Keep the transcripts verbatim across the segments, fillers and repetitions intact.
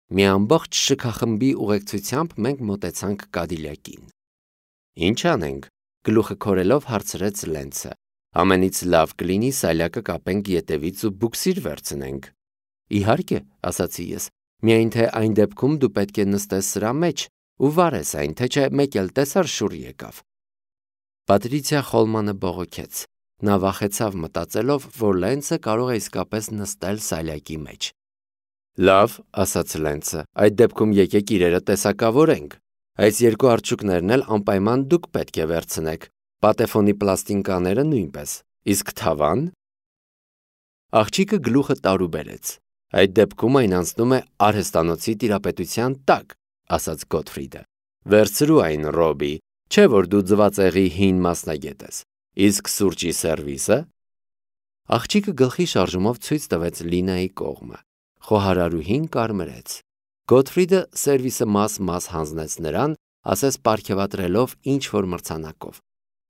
Մի ամբողջ շքախմբի ուղեկցությամբ մենք մոտեցանք Կադիլյակին։ Ինչ անենք, գլուխը քորելով հարցրեց Լենցը։ Ամենից լավ կլինի սալյակը կապենք ետևից ու բուքսիր վերցնենք։ Իհարկե, ասացի ես, միայն թե այն դեպքում դու պետք է նստես սրա մեջ ու վարես այն, թե չէ մեկ էլ տեսար շուռ եկավ։ Պատրիցիա Խոլմանը բողոքեց։ Նա վախեցավ մտածելով, որ Լենցը կարող է իսկապես նստել սալյակի մեջ։ Լավ, ասաց Լենցը, այդ դեպքում եկեք իրերը տեսակավորենք։ Այս երկու արջուկներն էլ անպայման դուք պետք է վերցնեք, պատեֆոնի պլաստինկաները նույնպես, իսկ թավան։ Աղջիկը գլուխը տարուբերեց։ Այդ դեպքում այն անցնում է արհեստանոցի տիրապետության տակ, ասաց Գոթֆրիդը։ Վերցրու այն, Ռոբի, չէ որ դու ձվածեղի հին մասնագետ ես։ Իսկ սուրճի սերվիսը։ Աղջիկը գլխի շարժումով ցույց տվեց Լինայի կողմը։ Խոհարարուհին կարմրեց։ Գոթֆրիդը սերվիսը մաս-մաս հանձնեց նրան, ասես պարգևատրելով ինչ-որ մրցանակով։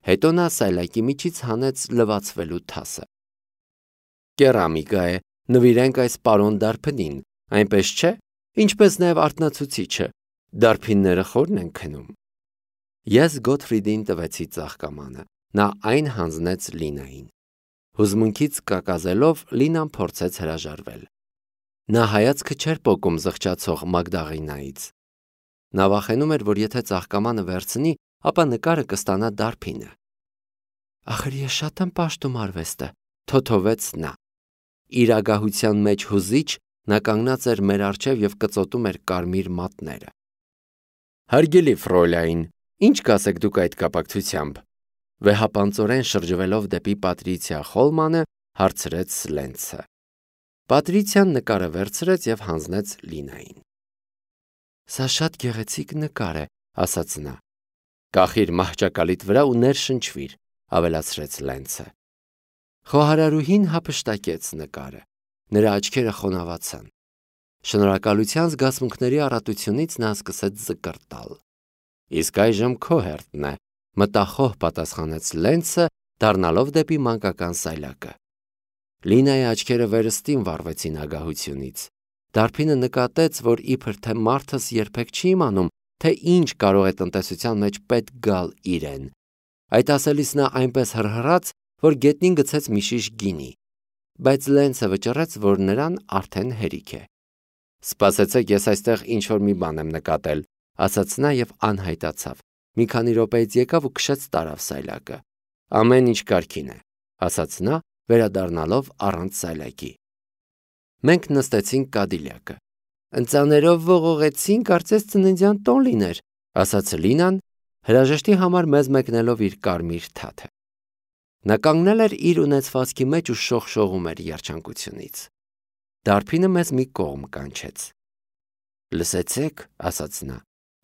Հետո նա սայլակի միջից հանեց լվացվելու թասը։ Կերամիկա է, նվիրենք այս պարոն Դարփնին, այնպես չէ, ինչպես նաև արթնացուցիչը, դարբինները խորն են քնում։ Ես Գոթֆրիդին տվեցի ծաղկամանը, նա այն հանձնեց Լինային։ Հուզմունքից կակազելով Լինան փորձեց հրաժարվել։ Նա հայացքը չէր պոկում զղջացող Մագդաղինայից։ Նա վախենում էր, որ եթե ծաղկամանը վերցնի, ապա նկարը կստանա Դարփինը։ Ախր ես շատ եմ պաշտում արվեստը, թոթովեց նա։ Իր ագահության մեջ հուզիչ նա կանգնած էր մեր առջև և կծոտում էր կարմիր մատները։ Հարգելի Ֆրոլայն, ինչ կասեք դուք այդ կապակցությամբ։ Վեհապանծորեն շրջվելով դեպի Պատրիցիա Խոլմանը հարցրեց Լենցը։ Պատրիցիան նկարը վերցրեց և հանձնեց Լինային։ Սա շատ գեղեցիկ նկար է, ասաց նա։ Կախիր մահճակալիդ վրա ու ներշնչվիր, ավելացրեց Լենցը։ Խոհարարուհին հափշտակեց նկարը։ Նրա աչքերը խոնավացան։ Շնորհակալության զգացմունքների առատությունից նա սկսեց զկրտալ։ Իսկ այժմ քո հերթն է, մտախոհ պատասխանեց Լենցը, դառնալով դեպի մանկական սայլակը։ Լինայի աչքերը վերստին վառվեցին ագահությունից։ Դարբինը նկատեց, որ իբր թե մարդս երբեք չի իմանում, թե ինչ կարող է տնտեսության մեջ պետք գալ իրեն։ Այդ ասելիս նա այնպես հռհռաց, որ գետնին գցեց մի շիշ գինի։ Բայց Լենցը վճռեց, որ նրան արդեն հերիք է։ Սպասեցեք, ես այստեղ ինչ-որ մի բան եմ նկատել, ասաց նա և անհայտացավ։ Մի քանի րոպեից եկավ ու քշեց տարավ սայլակը։ Ամեն ինչ կարգին է, ասաց նա, վերադառնալով առանց սայլակի։ Մենք նստեցինք Կադիլյակը։ Ընծաներով ողողեցին, կարծես ծննդյան տոն լիներ, ասաց Լինան, հրաժեշտի համար մեզ մեկնելով իր կարմիր թաթը։ Նա կանգնել էր իր ունեցվածքի մեջ ու շողշողում էր երջանկությունից։ Դարբինը մեզ մի կողմ կանչեց։ Լսեցեք, ասաց նա,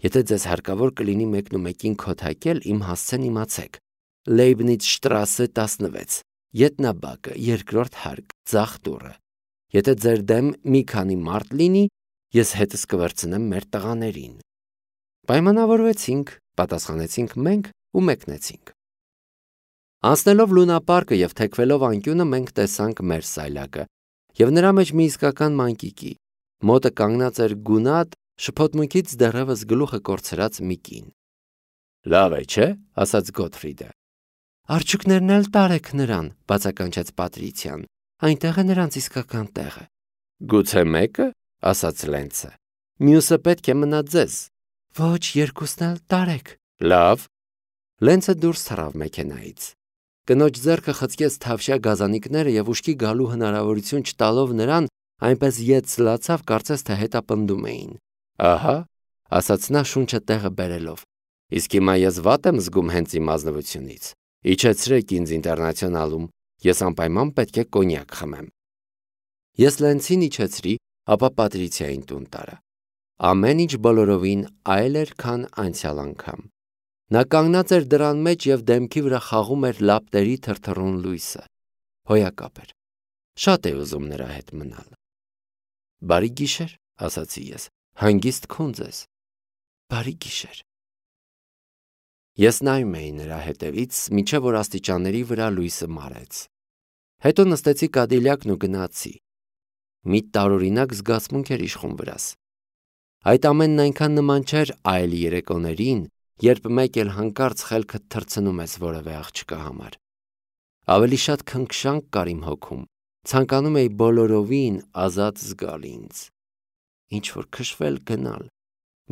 եթե ձեզ հարկավոր կլինի մեկնումեկին քոթակել, իմ հասցեն իմացեք։ Լեյբնից շտրասե տասնվեց, ետնաբակը, երկրորդ հարկ, ձախ դուռը։ Եթե ձեր դեմ մի քանի մարդ լինի, ես հետս կվերցնեմ մեր տղաներին։ Պայմանավորվեցինք, պատասխանեցինք մենք ու մեկնեցինք։ Անցնելով լունապարկը և թեքվելով անկյունը մենք տեսանք մեր սայլակը և նրա մեջ մի իսկական մանկիկի։ Մոտը կանգնած էր գունատ, շփոթմունքից դեռևս գլուխը կորցրած մի կին։ Լավ է, չէ՞, ասաց Գոթֆրիդը։ Արջուկներն էլ տարեք նրան, բացականչեց Պատրիցիան։ Այնտեղ է նրանց իսկական տեղը։ Գուցե մեկը, ասաց Լենցը։ Մյուսը պետք է մնա ձեզ։ Ոչ, երկուսն էլ տարեք։ Լավ։ Լենցը դուրս թռավ մեքենայից։ Կնոջ ձեռքը խցկեց թավշյա գազանիկները և ուշքի գալու հնարավորություն չտալով նրան, այնպես ետ սլացավ, կարծես թե հետապնդում էին։ Ահա, ասաց նա շունչը տեղը բերելով։ Իսկ հիմա ես վատ եմ զգում հենց իմ ազնվությունից։ Իջեցրեք ինձ ինտերնացիոնալում, ես անպայման պետք է կոնյակ խմեմ։ Ես Լենցին իջեցրի, ապա Պատրիցիային տուն տարա։ Ամեն ինչ բոլորովին այլ էր, քան անցյալ անգամ։ Նա կանգնած էր դռան մեջ և դեմքի վրա խաղում էր լապտերի թրթռուն լույսը։ Հոյակապ էր։ Շատ էի ուզում նրա հետ մնալ։ Բարի գիշեր, ասացի ես, հանգիստ քուն ձեզ։ Բարի գիշեր։ Ես նայում էի նրա հետևից, մինչև որ աստիճանների վրա լույսը մարեց։ Հետո նստեցի Կադիլյակն ու գնացի։ Մի տարօրինակ զգացմունք էր իշխում վրաս։ Այդ ամենն այնքան նման չէր այլ երեկոներին, երբ մեկ էլ հանկարծ խելքդ թռցնում ես որևէ աղջկա համար։ Ավելի շատ քնքշանք կար իմ հոգում, ցանկանում էի բոլորովին ազատ զգալ ինձ, ինչ-որ քշվել գնալ,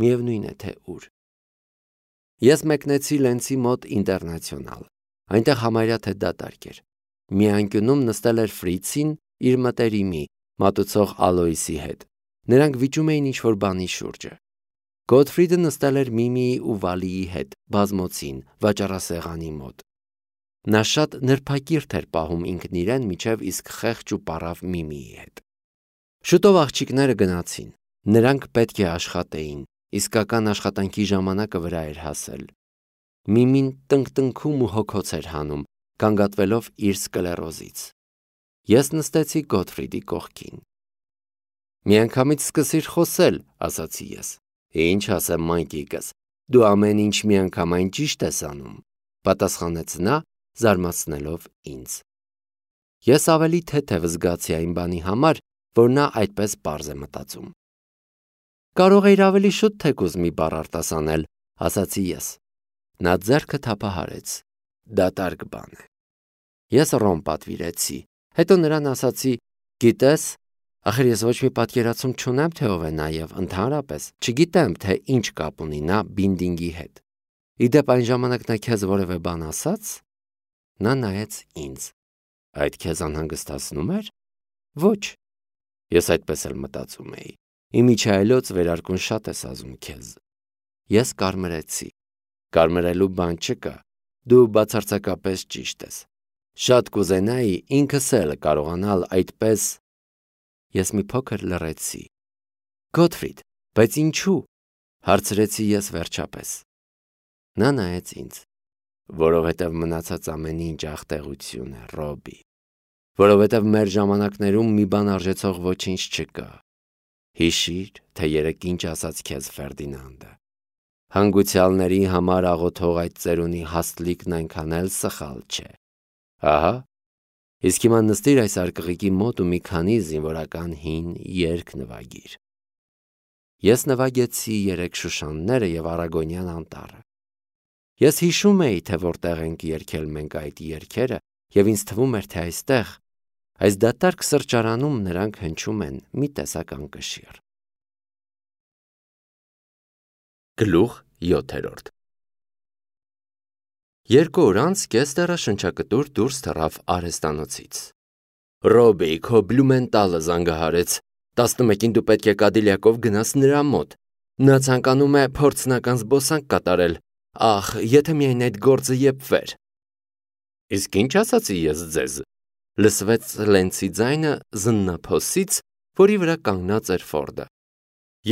միևնույն է թե ուր։ Ես մեկնեցի Լենցի մոտ Ինտերնացիոնալ, այնտեղ համարյա թե դատարկ էր։ Մի անկյունում նստել էր Ֆրիցին իր մտերիմի, մատուցող Ալոյսի հետ։ Նրանք վիճում էին ինչ-որ բանի շուրջը։ Գոթֆրիդը նստել էր Միմիի ու Վալիի հետ, բազմոցին, վաճառասեղանի մոտ։ Նա շատ նրբակիրթ էր պահում ինքն իրեն, մինչև իսկ խեղճ ու պառավ Միմիի հետ։ Շուտով աղջիկները գնացին։ Նրանք պետք է աշխատեին, իսկական աշխատանքի ժամանակը վրա էր հասել։ Միմին տնկտնքում ու հոգոց էր հանում, գանգատվելով իր սկլերոզից։ Ես նստեցի Գոթֆրիդի կողքին։ Միանգամից սկսիր խոսել, ասացի ես։ Ինչ ասեմ, մայկիկս, դու ամեն ինչ միանգամայն ճիշտ ես անում, պատասխանեց նա, զարմացնելով ինձ։ Ես ավելի թեթև զգացի այն բանի համար, որ նա այդպես պարզ է մտածում։ Կարող էիր ավելի շուտ թեկուզ մի բառ արտասանել, ասացի ես։ Նա ձեռքը թափահարեց։ Դատարկ բան է։ Ես ռոմ պատվիրեցի, հետո նրան ասացի. գիտես, ախր ես ոչ մի պատկերացում չունեմ, թե ով է նա եւ ընդհանրապես չգիտեմ, թե ինչ կապ ունի նա Բինդինգի հետ։ Իդեպ այն ժամանակ նա քեզ որևէ բան ասաց։ Նա նայեց ինձ։ Այդ քեզ անհանգստացնում էր։ Ոչ։ Ես այդպես էլ մտածում էի։ Իմիջայլոց վերարկուն շատ ես ազում քեզ։ Ես կարմրեցի։ Կարմրելու բան չկա։ Դու բացարձակապես ճիշտ ես։ Շատ կուզենայի ինքս էլ կարողանալ այդպես։ Ես մի փոքր լռեցի։ Գոթֆրիդ, բայց ինչու՞, հարցրեցի ես վերջապես։ Նա նայեց ինձ։ Որովհետև մնացած ամեն ինչ աղտեղություն է, Ռոբի։ Որովհետև մեր ժամանակներում մի բան արժեցող ոչինչ չկա։ Հիշիր, թե երեկ ինչ ասաց քեզ Ֆերդինանդը։ Հանգուցյալների համար աղոթող այդ ծերունի հաստլիկն այնքան էլ սխալ չէ։ Ահա, իսկ հիմա նստիր այս արկղիկի մոտ ու մի քանի զինվորական հին երգ նվագիր։ Ես նվագեցի երեք Շուշանները եւ Արագոնյան անտառը։ Ես հիշում էի, թե որտեղ ենք երգել մենք այդ երգերը, եւ ինձ թվում էր, թե այստեղ, այս դատարկ սրճարանում նրանք հնչում են մի տեսական կշիռ։ Գլուխ յոթերորդ Երկու օր անց Կեստերը շնչակտուր դուրս թռավ արհեստանոցից։ Ռոբի, քո Բլումենտալը զանգահարեց։ տասնմեկին դու պետք է Կադիլյակով գնաս նրա մոտ։ Նա ցանկանում է փորձնական զբոսանք կատարել։ Ախ, եթե միայն այդ գործը եփվեր։ Իսկ ինչ ասացի ես ձեզ։ Լսվեց Լենցի ձայնը զննափոսից, որի վրա կանգնած էր Ֆորդը։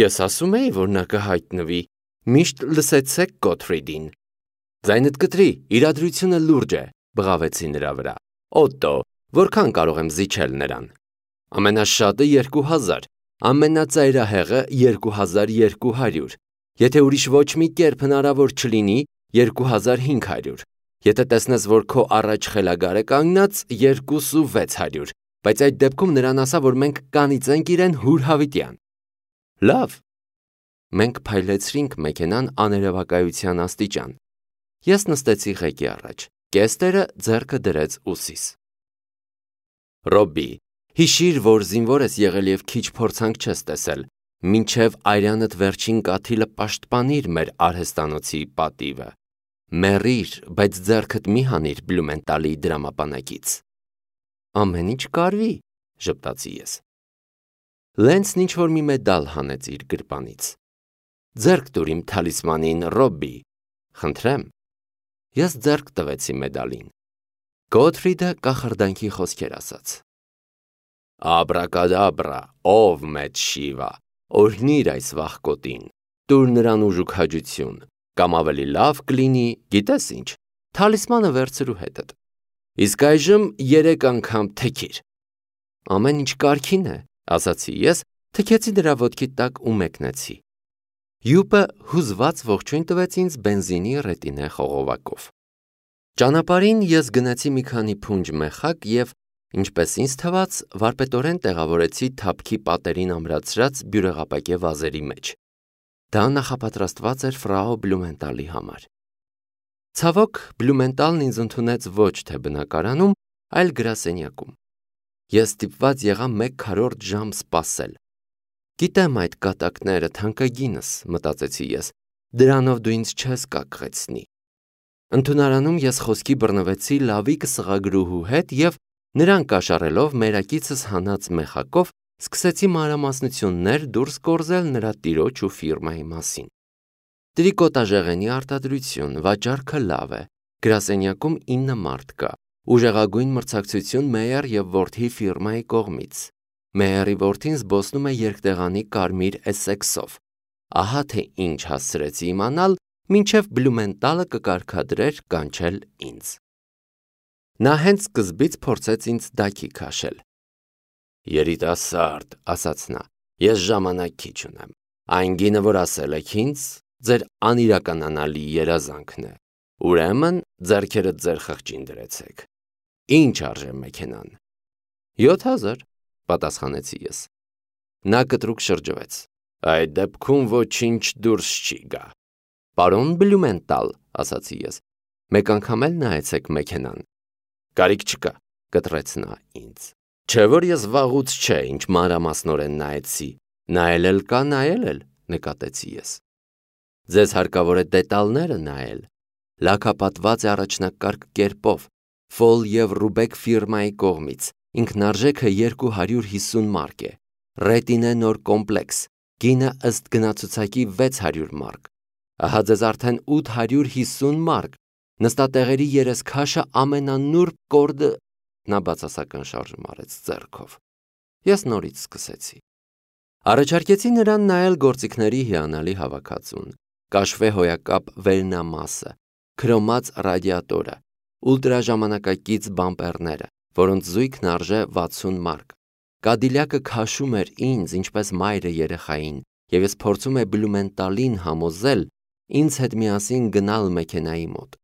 Ես ասում էի, որ նա կհայտնվի։ Միշտ լսեցեք Գոթֆրիդին։ Ձայնդ կտրի, իրադրությունը լուրջ է, բղավեցի նրա վրա։ Օտո, որքան կարող եմ զիջել նրան։ Ամենաշատը երկու հազար, ամենածայրահեղը երկու հազար երկու հարյուր։ Եթե ուրիշ ոչ մի կերպ հնարավոր չլինի, երկու հազար հինգ հարյուր։ Եթե տեսնես, որ քո առաջ խելագար է կանգնած, երկուսու վեց հարյուր։ Բայց այդ դեպքում նրան ասա, որ մենք կանիծենք իրեն հուր հավիտյան։ Լավ։ Մենք փայլեցրինք մեքենան աներևակայության աստիճան։ Ես նստեցի ղեկի առաջ։ Կեստերը ձեռքը դրեց ուսիս։ Ռոբի, հիշիր, որ զինվոր ես եղել եւ քիչ փորձանք չես տեսել, մինչև այրանդ վերջին կաթիլը պաշտպանիր մեր արհեստանոցի պատիվը։ Մեռիր, բայց ձեռքդ մի հանիր Բլումենտալի դրամապանակից։ Ամեն ինչ կարվի, ժպտացի ես։ Լենցն ինչ-որ մի մեդալ հանեց իր գրպանից։ Ձեռք տուր իմ թալիսմանին, Ռոբի, խնդրեմ։ Ես ձեռք տվեցի մեդալին։ Գոթֆրիդը կախարդանքի խոսքեր ասաց։ Աբրակադաբրա, ով մեծ Շիվա, օրհնիր այս վախկոտին, տուր նրան ուժ ու քաջություն, կամ ավելի լավ կլինի, գիտես ինչ, թալիսմանը վերցրու հետդ։ Իսկ այժմ երեք անգամ թեքիր։ Ամեն ինչ կարգին է, ասացի ես, թքեցի դրա ոտքի տակ ու մեկնեցի։ Յուպը հուզված ողջույն տվեց ինձ բենզինի ռետինե խողովակով։ Ճանապարհին ես գնացի մի քանի փունջ մեխակ եւ, ինչպես ինձ թվաց, վարպետորեն տեղավորեցի թափքի պատերին ամրացրած բյուրեղապակե վազերի մեջ։ Դա նախապատրաստված էր ֆրау Բլումենտալի համար։ Ցավոք, Բլումենտալն ինձ ընդունեց ոչ թե բնակարանում, այլ գրասենյակում։ Ես ստիպված եղա մեկ քառորդ ժամ սպասել։ Գիտեմ այդ կատակները, թանկագինս, մտածեցի ես, դրանով դու ինձ չես կակղեցնի։ Ընդունարանում ես խոսքի բռնվեցի լավիկ սղագրուհու հետ և նրան կաշառելով մերակիցս հանած մեխակով սկսեցի մանրամասնություններ դուրս կորզել նրա տիրոջ ու ֆիրմայի մասին։ Տրիկոտաժեղենի արտադրություն, վաճառքը լավ է, գրասենյակում ինը մարդ կա, ուժեղագույն մրցակցություն Մեյեր և որդի ֆիրմայի կողմից։ Մեյերի որդին զբոսնում է երկտեղանի կարմիր Էսեքսով։ Ահա թե ինչ հասցրեցի իմանալ, մինչև Բլումենտալը կկարգադրեր կանչել ինձ։ Նա հենց սկզբից փորձեց ինձ դակի քաշել։ Երիտասարդ, ասաց նա, ես ժամանակ քիչ ունեմ։ Այն գինը, որ ասել եք ինձ, ձեր անիրականանալի երազանքն է։ Ուրեմն ձեռքերդ ձեր խղճին դրեցեք։ Ինչ արժե մեքենան։ յոթ հազար, պատասխանեցի ես։ Նա կտրուկ շրջվեց։ Այդ դեպքում ոչինչ դուրս չի գա։ Պարոն Բլումենտալ, ասացի ես, մեկ անգամ էլ նայեցեք մեքենան։ Կարիք չկա, կտրեց նա ինձ։ Չէ որ ես վաղուց չէ, ինչ մանրամասնորեն նայեցի, նայել էլ կա, նայել էլ, նկատեցի ես։ Ձեզ հարկավոր է դետալները նայել։ Լաքապատված է առաջնակարգ կերպով, Ֆոլ և Ռուբեք ֆիրմայի կողմից, ինքնարժեքը երկու հարյուր հիսուն մարկ է, ռետինե նոր կոմպլեքս, գինը ըստ գնացուցակի վեց հարյուր մարկ, ահա ձեզ արդեն ութ հարյուր հիսուն մարկ, նստատեղերի երեսքաշը ամենանուրբ կորդը, նա բացասական շարժում արեց ձեռքով։ Ես նորից սկսեցի։ Առաջարկեցի նրան նայել գործիքների հիանալի հավաքածուն, կաշվե հոյակապ վերնամասը, քրոմած ռադիատորը, ուլտրաժամանակակից բամպերները, որոնց զույգն արժե վաթսուն մարկ։ Կադիլյակը քաշում էր ինձ, ինչպես մայրը երեխային, և ես փորձում եմ Բլումենտալին համոզել ինձ հետ միասին գնալ մեքենայի մոտ։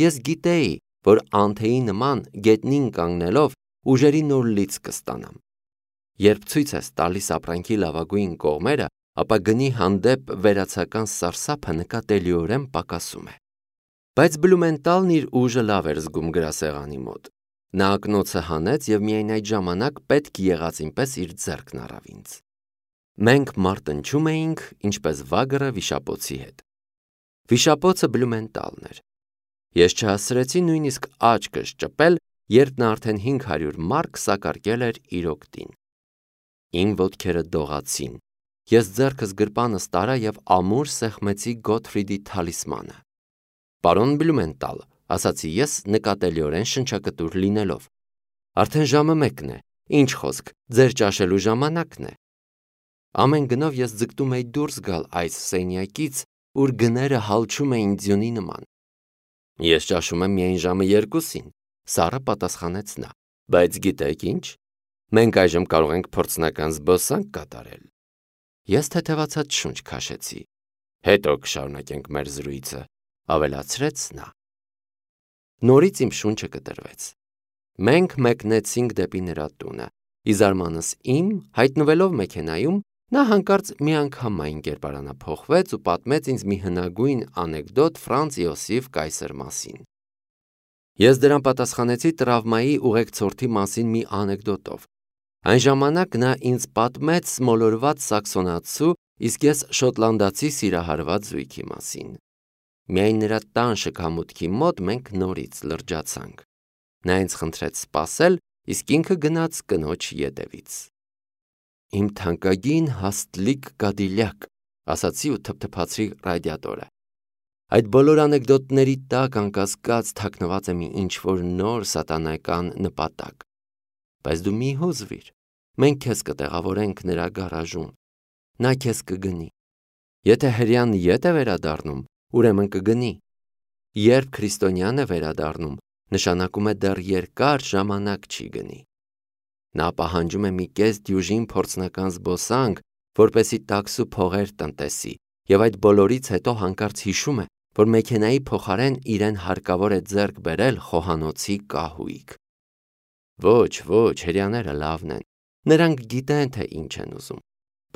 Ես գիտեի, որ անթեի նման գետնին կանգնելով ուժերի նոր լիցք կստանամ։ Երբ ցույց ես տալիս ապրանքի լավագույն կողմերը, ապա գնի հանդեպ վերացական սարսափը նկատելիորեն պակասում է։ Բայց Բլումենտալն իր ուժը լավ էր զգում գրասեղանի մոտ։ Նա ակնոցը հանեց և միայն այդ ժամանակ պետք եղածին պես իր ձեռքն առավ ինձ։ Մենք մարտնչում էինք, ինչպես վագրը վիշապոցի հետ։ Վիշապոցը Բլումենտալն էր։ Ես չհասցրեցի նույնիսկ աչքս ճպել, երբ նա արդեն հինգ հարյուր մարկ սակարկել էր իր օգտին։ Իմ ոտքերը դողացին։ Ես ձեռքս գրպանս տարա և ամուր սեղմեցի Գոթֆրիդի թալիսմանը։ Պարոն Բլումենտալ, ասացի ես նկատելիորեն շնչակտուր լինելով, արդեն ժամը մեկն է, ինչ խոսք, ձեր ճաշելու ժամանակն է։ Ամեն գնով ես ձգտում էի դուրս գալ այս սենյակից, ուր գները հալչում էին ձյունի նման։ Ես ճաշում եմ միայն ժամը երկուսին, սառը պատասխանեց նա, բայց գիտեք ինչ, մենք այժմ կարող ենք փորձնական զբոսանք կատարել։ Ես թեթևացած շունչ քաշեցի։ Հետո կշարունակենք մեր զրույցը, ավելացրեց նա։ Նորից իմ շունչը կտրվեց։ Մենք մեկնեցինք դեպի նրա տունը, ի զարմանս իմ, հայտնվելով մեքենայում, նա հանկարծ միանգամայն կերպարանափոխվեց ու պատմեց ինձ մի հնագույն անեկդոտ Ֆրանց Իոսիֆ Կայսեր մասին։ Ես դրան պատասխանեցի տրավմայի ուղեկցորդի մասին մի անեկդոտով։ Այն ժամանակ նա ինձ պատմեց մոլորված սաքսոնացու, իսկ ես շոտլանդացի սիրահարված զույգի մասին։ Միայն նրա տան շքամուտքի մոտ մենք նորից լրջացանք։ Նա ինձ խնդրեց սպասել, իսկ ինքը գնաց կնոջ ետևից։ Իմ թանկագին հաստլիկ Կադիլյակ, ասացի ու թփթփացրի ռադիատորը։ Այդ բոլոր անեկդոտների տակ անկասկած թաքնված է մի ինչ-որ նոր սատանայական նպատակ։ Բայց դու մի հուզվիր, մենք քեզ կտեղավորենք նրա գարաժում։ Նա քեզ կգնի։ Եթե հրեան ետ է վերադառնում, ուրեմն կգնի։ Երբ քրիստոնյան է վերադառնում, նշանակում է դեռ երկար ժամանակ չի գնի։ Նա պահանջում է մի կես դյուժին փորձնական զբոսանք, որպեսզի տաքսու փողեր տնտեսի, եւ այդ բոլորից հետո հանկարծ հիշում է, որ մեքենայի փոխարեն իրեն հարկավոր է ձեռք բերել խոհանոցի կահույք։ Ոչ, ոչ, հրեաները լավն են, նրանք գիտեն, թե ինչ են ուզում։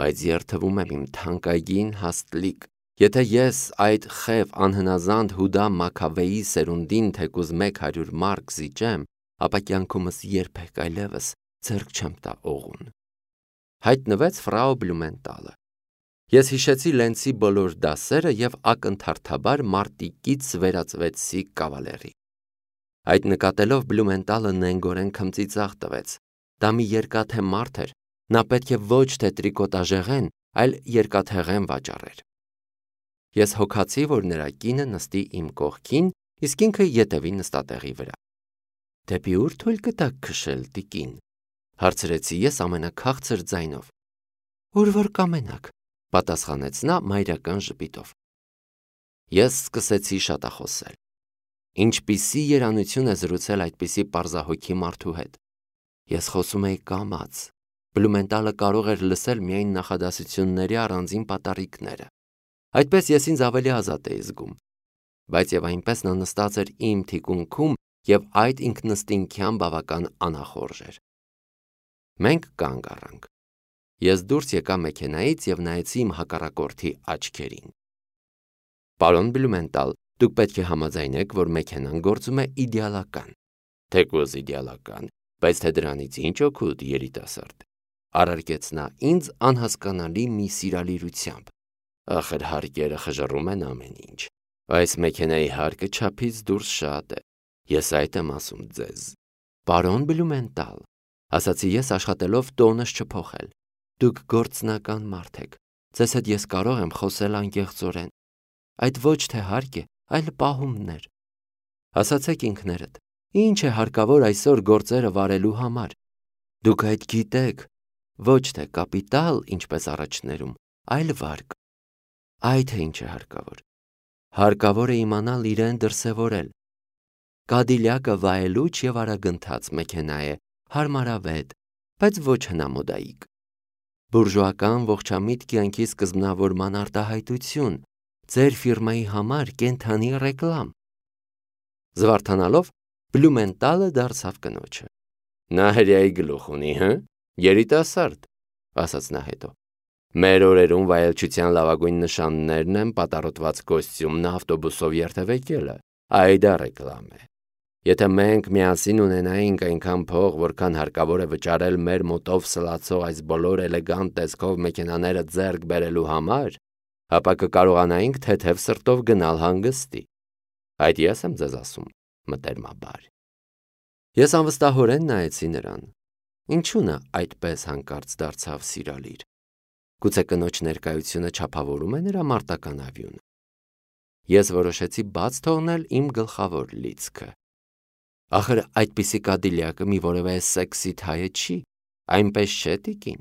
բայց երթվում եմ իմ թանկագին հաստլիկ, եթե ես այդ խև անհնազանդ Հուդա Մաքավեի սերունդին թեկուզ մեկ հարյուր մարկ զիջեմ, ապա կյանքումս երբեք այլևս ձեռք չեմ տա օղուն։ Հայտնվեց ֆրաու Բլումենտալը։ Ես հիշեցի Լենցի բոլոր դասերը և ակնթարթաբար մարտիկից վերածվեցի կավալերի։ Այդ նկատելով Բլումենտալը նենգորեն քմծիծաղ տվեց։ Դա մի երկաթե մարդ էր, նա պետք է ոչ թե տրիկոտաժեղեն, այլ երկաթեղեն վաճառեր։ Ես հոգացի, որ նրա կինը նստի իմ կողքին, իսկ ինքը ետևի նստատեղի վրա։ Դեպի ուր թույլ կտաք քշել, տիկին, հարցրեցի ես ամենաքաղցր ձայնով։ Ուր որ կամենաք, պատասխանեց նա մայրական ժպիտով։ Ես սկսեցի շատախոսել։ Ինչպիսի երանություն է զրուցել այդպիսի պարզահոգի մարդու հետ։ Ես խոսում էի կամաց։ Բլումենտալը կարող էր լսել միայն նախադասությունների առանձին պատառիկները։ Այդպես ես ինձ ավելի ազատ էի զգում, բայց եւ այնպես նա նստած էր իմ թիկունքում եւ այդ ինքնըստինքյան բավական անախորժ էր։ Մենք կանգ առանք։ Ես դուրս եկա մեքենայից եւ նայեցի իմ հակառակորդի աչքերին։ Պարոն Բլումենտալ, դուք պետք է համաձայնեք, որ մեքենան գործում է իդեալական։ Թեկուզ իդեալական, բայց թե դրանից ինչ օգուտ, երիտասարդ, առարկեց նա ինձ անհասկանալի մի սիրալիրությամբ։ Ախր հարկերը խժռում են ամեն ինչ։ Այս մեքենայի հարկը չափից դուրս շատ է։ Ես այդ եմ ասում ձեզ։ Պարոն Բլումենտալ, ասացի ես աշխատելով տոնս չփոխել։ Դուք գործնական մարդ եք։ Ձեզ հետ ես կարող եմ խոսել անկեղծորեն։ Այդ ոչ թե հարկ է, այլ պահումներ։ Ասացեք ինքներդ, ինչ է հարկավոր այսօր գործերը վարելու համար։ Դուք այդ գիտեք, ոչ թե կապիտալ, ինչպես առաջներում, այլ վարկ։ Այդ է ինչ է հարկավոր։ Հարկավոր է իմանալ իրեն դրսևորել։ Կադիլյակը վայելուչ և արագընթաց մեքենա է, հարմարավետ, բայց ոչ հնամոդայիկ։ Բուրժուական ողջամիտ կյանքի սկզբնավորման արտահայտություն, ձեր ֆիրմայի համար կենդանի ռեկլամ։ Զվարթանալով Բլումենտալը դարձավ կնոջը։ Նա հրեայի գլուխ ունի, հը, երիտասարդ, ասաց նա հետո։ Մեր օրերում վայելչության լավագույն նշաններն են պատառոտված կոստյումն ավտոբուսով երթևեկելը, այդա ռեկլամ է։ Եթե մենք միասին ունենայինք այնքան փող, որքան հարկավոր է վճարել մեր մոտով սլացող այս բոլոր էլեգանտ տեսքով մեքենաները ձեռք բերելու համար, ապա կկարողանայինք թեթև սրտով գնալ հանգստի։ Այդ ես եմ ձեզ ասում, մտերմաբար։ Ես անվստահորեն նայեցի նրան։ Ինչու նա այդպես հանկարծ դարձավ սիրալիր։ Գուցե կնոջ ներկայությունը չափավորում է նրա մարտական ավյունը։ Ես որոշեցի բաց թողնել իմ գլխավոր լիցքը։ Ախր այդպիսի կադիլյակը մի որևէ սեքսի թայը չի, այնպես չէ տիկին։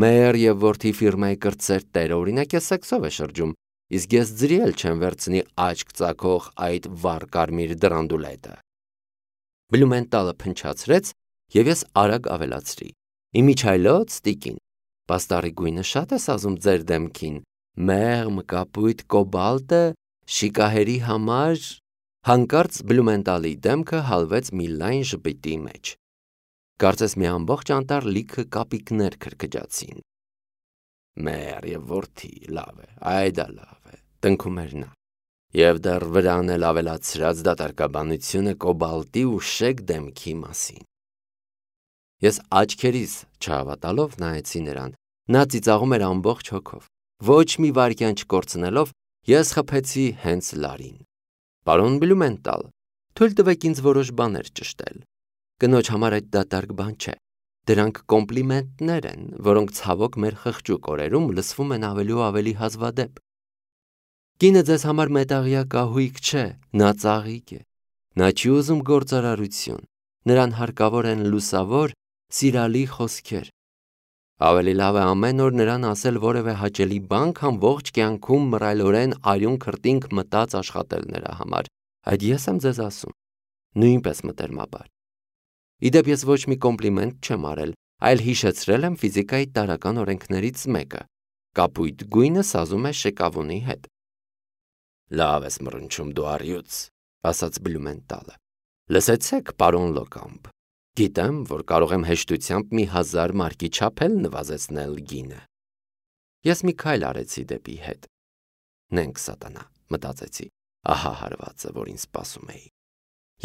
Մեր եւ որդի ֆիրմայի կրտսեր տերը օրինակ է սեքսով է շրջում, իսկ ես ձրի էլ չեմ վերցնի աչք ծակող այդ վառ կարմիր դրանդուլետը։ Բլումենտալը փնչացրեց եւ ես արագ ավելացրի. Իմիջայլոց տիկին, պաստառի գույնը շատ է սազում ձեր դեմքին, մեղմ կապույտ կոբալտը շիկահերի համար։ Հանկարծ Բլումենտալի դեմքը հալվեց մի լայն ժպիտի մեջ։ Կարծես մի ամբողջ անտառ լիքը կապիկներ քրքջացին։ Մեր եւ որդի, լավ է, այդա լավ է, տնքում էր նա։ Եվ դեռ վրան էլ ավելացրած դատարկաբանությունը կոբալտի ու շեկ դեմքի մասին։ Ես աչքերիս չհավատալով նայեցի նրան։ Նա ծիծաղում էր ամբողջ հոգով։ Ոչ մի վայրկյան չկորցնելով, ես խփեցի հենց լարին։ Պարոն Բլումենտալ, թույլ տվեք ինձ որոշ բաներ ճշտել։ Կնոջ համար այդ դատարկ բան չէ։ Դրանք կոմպլիմենտներ են, որոնք ցավոք մեր խղճուկ օրերում լսվում են ավելի ու ավելի հազվադեպ։ Կինը ձեզ համար մետաղյա կահույք չէ, նա ծաղիկ է։ Նա չի ուզում գործարարություն։ Նրան հարկավոր են լուսավոր, սիրալի խոսքեր։ Ավելի լավ է ամեն օր նրան ասել որևէ հաճելի բան, քան ողջ կյանքում մռայլորեն արյուն քրտինք մտած աշխատել նրա համար։ Այդ ես եմ ձեզ ասում։ Նույնպես մտերմաբար։ Իդեպ ես ոչ մի կոմպլիմենտ չեմ արել, այլ հիշեցրել եմ ֆիզիկայի տարրական օրենքներից մեկը։ Կապույտ գույնը սազում է շեկավունի հետ։ Լավ ես մռնչում դու առյուծ, ասաց Բլումենտալը։ Լսեցեք, պարոն Լոկամբ։ Գիտեմ, որ կարող եմ հեշտությամբ մի հազար մարկի չափ էլ նվազեցնել գինը։ Ես մի քայլ արեցի դեպի հետ։ Նենք սատանա, մտածեցի, ահա հարվածը, որ ինձ սպասում էի։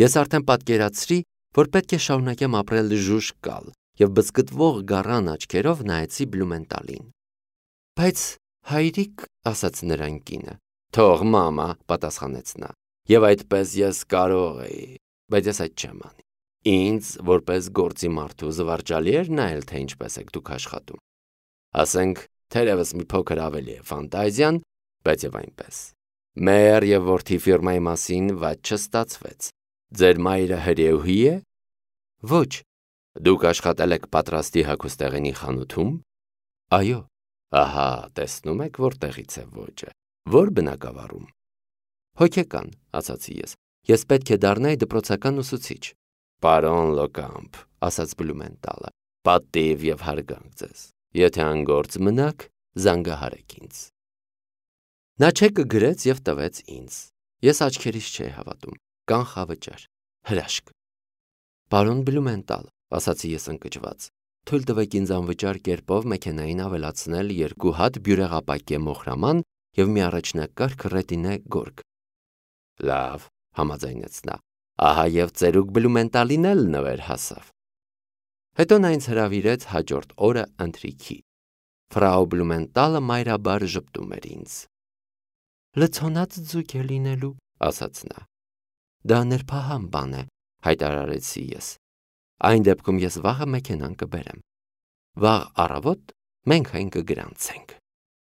Ես արդեն պատկերացրի, որ պետք է շարունակեմ ապրել ժուժ կալ և բզկտվող գառան աչքերով նայեցի Բլումենտալին։ Բայց հայրիկ, ասաց նրան կինը։ Թող մամա, պատասխանեց նա, և այդպես ես կարող էի, բայց ես այդ չեմ անի։ Ինձ, որպես գործի մարդու, զվարճալի էր նայել, թե ինչպես եք դուք աշխատում։ Ասենք, թերևս մի փոքր ավելի է ֆանտազիան, բայց և այնպես։ Մեր և որդի ֆիրմայի մասին վատ չստացվեց։ Ձեր մայրը հրեուհի է։ Ոչ։ Դուք աշխատել եք պատրաստի հագուստեղենի խանութում։ Այո։ Ահա, տեսնում եք, որտեղից է ոճը։ Որ բնակավարում։ Հոգեկան, ասացի ես։ Ես պետք է դառնայի դպրոցական ուսուցիչ։ Պարոն Լոկամպ, ասաց Բլումենտալը, պատիվ և հարգանք ձեզ։ Եթե անգործ մնաք, զանգահարեք ինձ։ Նա չեկը գրեց և տվեց ինձ։ Ես աչքերիս չէի հավատում։ Կանխավճար, հրաշք։ Պարոն Բլումենտալ, ասացի ես ընկճված, թույլ տվեք ինձ անվճար կերպով մեքենային ավելացնել երկու հատ բյուրեղապակե մոխրաման և մի առաջնակարգ ռետինե գորգ։ Լավ, համաձայնեց նա, ահա և ծերուկ Բլումենտալին էլ նվեր հասավ։ Հետո նա ինձ հրավիրեց հաջորդ օրը ընթրիքի։ Ֆրау Բլումենտալը մայրաբար ժպտում էր ինձ։ Լցոնած ձուկ է լինելու, ասաց նա։ Դա նրբահամ բան է, հայտարարեցի ես։ Այն դեպքում ես վաղը մեքենան կբերեմ։ Վաղ առավոտ մենք այն կգրանցենք։